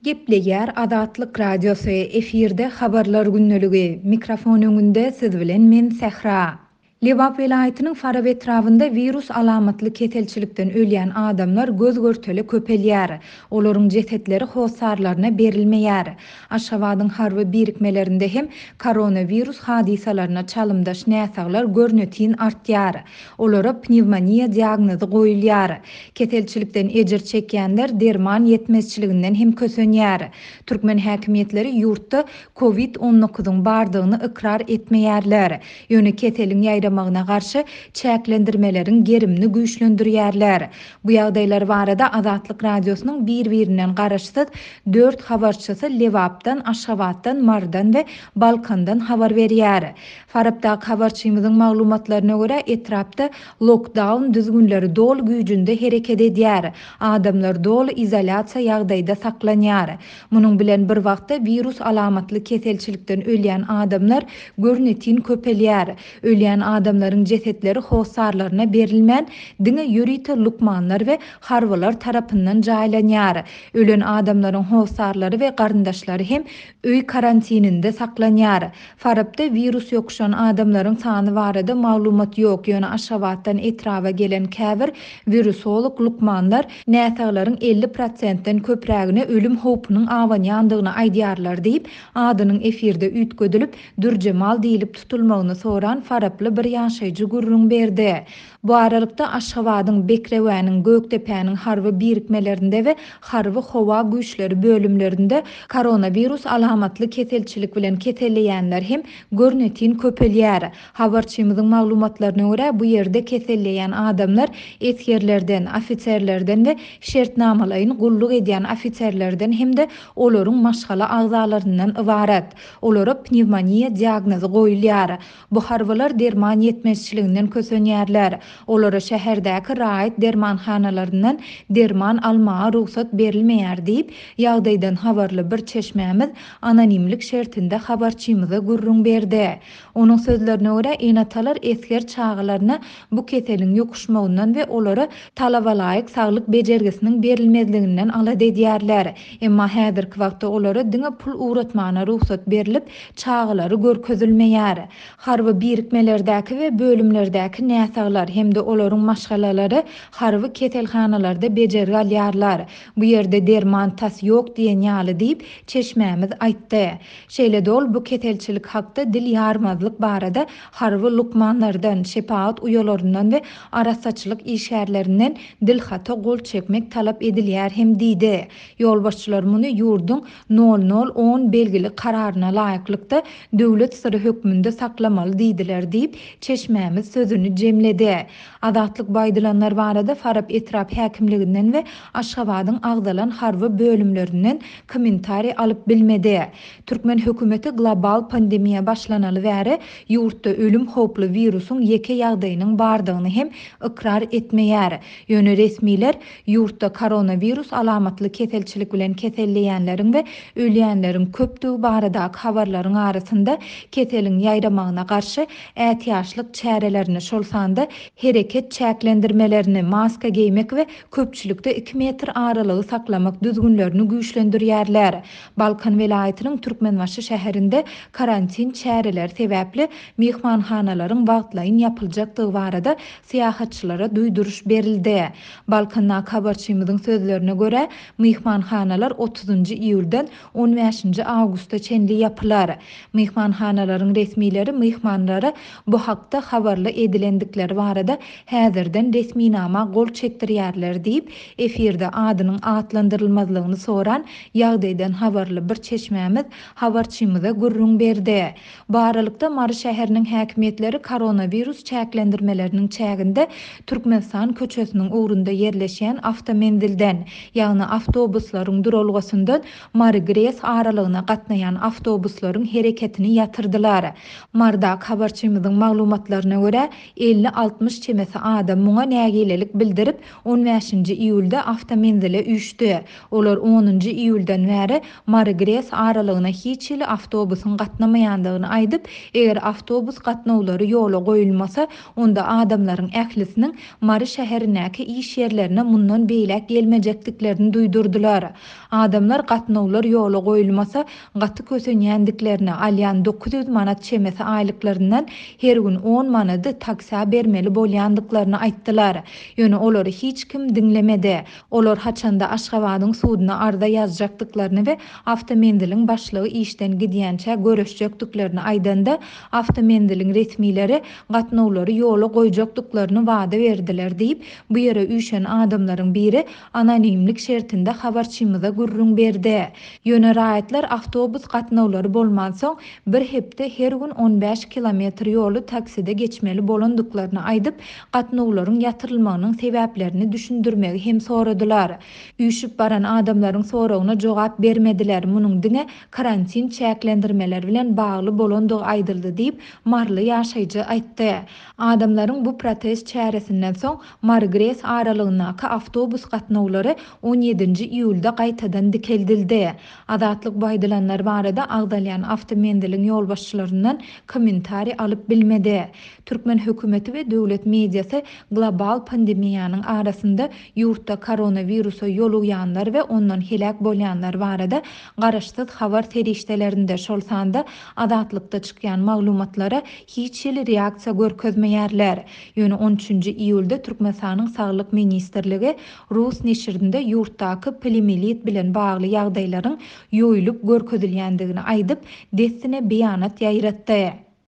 Gepleýär Azatlyk Radiosy, efirde Habarlar gündeligi, mikrofon öňünde siz bilen men Sähra. Lebap welaýatynyň Farap etrabynda wirus alamatly keselçilikden ölýän adamlar göz-görtele köpelýär. Olaryň jesetleri hossarlaryna berilmeýär. Aşgabadyň harby birikmelerinde hem koronawirus hadysalaryna çalymdaş näsaglar görnetin artýar. Olara pnewmoniýa diagnozy goýulýar. Keselçilikden ejir çekýänler derman ýetmezçiliginden hem kösenýär. Türkmen häkimiýetleri ýurtda Covid on dokuzyň bardygyny ykrar etmeýärler. Ýöne keseliň ýaýramagyna garşy çäklendirmeleriň gerimini güýçlendirýärler. Bu ýagdaýlar barada Azatlyk Radiosynyň bir-birinden garaşsyz dört habarçysy Lebapdan, Aşgabatdan, Marydan we Balkandan habar berýär. Farapdaky habarçymyzyň maglumatlaryna görä, etrapda lokdaun düzgünleri doly güýjünde hereket edýär, adamlar doly izolýasiýa ýagdaýda saklanýar. Munuň bilen bir wagtda wirus alamatly keselçilikden ölýän adamlar görnetin köpelýär. Ölýän adamlaryň jesetleri hossarlaryna berilmän, diňe ýörite lukmanlar we harbylar tarapyndan jaýlanýar. Ölen adamlaryň hossarlary we garyndaşlary hem öý karantininde saklanýar. Farapda wirus ýokuşan adamlaryň sany barada maglumat ýok, ýöne Aşgabatdan etraba gelen käbir wirusolog lukmanlar näsaglaryň 50 prosentden köprägine ölüm howpunyň abanýandygyny aýdýarlar diýip, adynyň efirde üýtgedilip, Dürjemal diýlip tutulmagyny soran faraply bir ýaşaýjy gürrüň berdi. Bu aralykda, Aşgabadyň, Bekrewäniň, Gökdepäniň harby birikmelerinde we harby howa güýçleri bölümlerinde koronawirus alamatly keselçilik bilen keselleýänler hem görnetin köpelýär. Habarçymyzyň maglumatlaryna görä, bu ýerde keselleýän adamlar esgerlerden, ofiserlerden we şertnamalaýyn gulluk edýän ofiserlerden hem-de olaryň maşgala agzalaryndan ybarat. Olara pnewmoniýa diagnozy goýulýar. Bu harbylar derman ýetmezçiliginden kösenýärler. Olara şäherdäki raýat dermanhanalaryndan derman almaga rugsat berilmeýär diýip, ýagdaýdan habarly bir çeşmämiz anonimlik şertinde habarçymyza gürrüň berdi. Onuň sözlerine görä, ene-atalar esger çagalaryna bu keseliň ýokuşmagyndan we olara talabalaýyk saglyk bejergisiniň berilmezliginden alada edýärler. Emma häzirki wagtda olara diňe pul ugratmana rugsat berlip, çagalary görkezilmeýär. Harby birikmelerdäki we bölümlerdäki näsaglar hem-de olaryň maşgalalary harby keselhanalarda bejergi alýarlar. Bu ýerde derman tas ýok diýen ýaly diýip, çeşmämiz aýtdy. Şeýle-de ol bu keselçilik hakda dil ýarmazlyk barada harby lukmanlardan, şepagat uýalaryndan we arassaçylyk işgärlerinden dilhata gol çekmek talap edilýär hem diýdi. Ýolbaşçylar muny ýurduň nol nol on belgili kararyna laýyklykda döwlet syry hökmünde saklamaly diýdiler diýip, çeşmämiz sözüni jemledi. Azatlyk bu aýdylanlar barada Farap etrap häkimliginden we Aşgabadyň agzalan harby bölümlerinden kommentariý alyp bilmedi. Türkmen hökümeti global pandemiýa başlanaly bäri ýurtda ölüm howply wirusyň ýeke ýagdaýynyň bardygyny hem ykrar etmeýär. Ýöne resmiler Ýurtda koronawirus alamatly keselçilik bilen keselleýänleriň we ölýänleriň köpdügi baradaky habarlaryň arasynda keseliň ýaýramagyna garşy ätiýaçlyk çärelerini, şol sanda hereket çäklendirmelerini, maska geýmek we köpçülikde iki metr aralygy saklamak düzgünlerini güýçlendirýärler. Balkan welaýatynyň Türkmenbaşy şäherinde karantin çäreleri sebäpli myhmanhanalaryň wagtlaýyn ýapyljakdygy barada syýahatçylara duýduryş berildi. Balkandaky habarçymyzyň sözlerine görä, myhmanhanalar otuzynjy iýuldan on bäşinji awgusta çenli ýapylar. Myhmanhanalaryň resmileri myhmanlara bu hakda habarly edilendikleri barada häzirden resminama gol çekdirýärler diýip, efirde adynyň atlandyrylmazlygyny soran ýagdaýdan habarly bir çeşmämiz habarçymyza gürrüň berdi. Bu aralykda, Mary şäheriniň häkimiýetleri koronawirus çäklendirmeleriniň çäginde Türkmenistan köçesiniň ugrunda ýerleşýän awtomenzilden, ýagny awtobuslaryň duralgasyndan Mary-Gres aralygyna gatnaýan awtobuslaryň hereketini ýatyrdylar. Marydaky habarçymyzyň maglumatlaryna. maglumatlaryna görä, 50-60 çemesi adam muňa nägilelik bildirip, on bäşinji iýulda awtomenzile üýşdi. Olar onunjy iýuldan bäri Mary-Gres aralygyna hiç hili awtobusyň gatnamaýandygyny aýdyp, eger awtobus gatnawlary ýola goýulmasa, onda adamlaryň ählisiniň Mary şäherindäki iş ýerlerine mundan beýläk gelmejekdiklerini duýdurdylar. Adamlar gatnawlar ýola goýulmasa, gaty kösenýändiklerini, alýan 900 manat çemesi aýlyklaryndan her gün on manady taksä bermeli bolýandyklaryny aýtdylar. Ýöne olary hiç kim diňlemedi. Olar haçanda Aşgabadyň suduna arza ýazjakdyklaryny we awtomenziliň başlygy işden gidýänçä göreşjekdiklerini aýdanda, awtomenziliň resmileri gatnawlary ýola goýjakdyklaryny wada berdiler diýip, bu ýere üýşen adamlaryň biri anonimlik şertinde habarçymyza gürrüň berdi. Ýöne raýatlar awtobus gatnawlary bolmansoň, bir hepde her gün on bäş kilometr ýoly takside geçmeli bolandyklaryny aýdyp, gatnawlaryň ýatyrylmagynyň sebäplerini düşündirmegi hem soradylar. Üýşüp baran adamlaryň soragyna jogap bermediler, munuň diňe karantin çäklendirmeleri bilen bagly bolandygy aýdyldy diýip, maryly ýaşaýjy aýtdy. Adamlaryň bu protest çäresinden soň Mary-Gres aralygyndaky awtobus gatnawlary on ýedinji iýulda gaýtadan dikeldildi. Azatlyk bu aýdylanlar barada agzalýan awtomenziliň ýolbaşçylaryndan kommentariý alyp bilmedi. Türkmen hökümeti we döwlet mediasy global pandemiýanyň arasynda ýurtda koronawirusa ýolugýanlar we ondan heläk bolýanlar barada garaşsyz habar serişdelerinde, şol sanda Azatlykda çykýan maglumatlara hiç hili reaksiýa görkezmeýärler. Ýöne on üçünji iýulda Türkmenistanyň Saglyk ministrligi rus neşirinde ýurtdaky poliomiýelit bilen bagly ýagdaýlaryň ýoýulyp görkezilýändigini aýdyp, dessine beýanat ýaýratdy.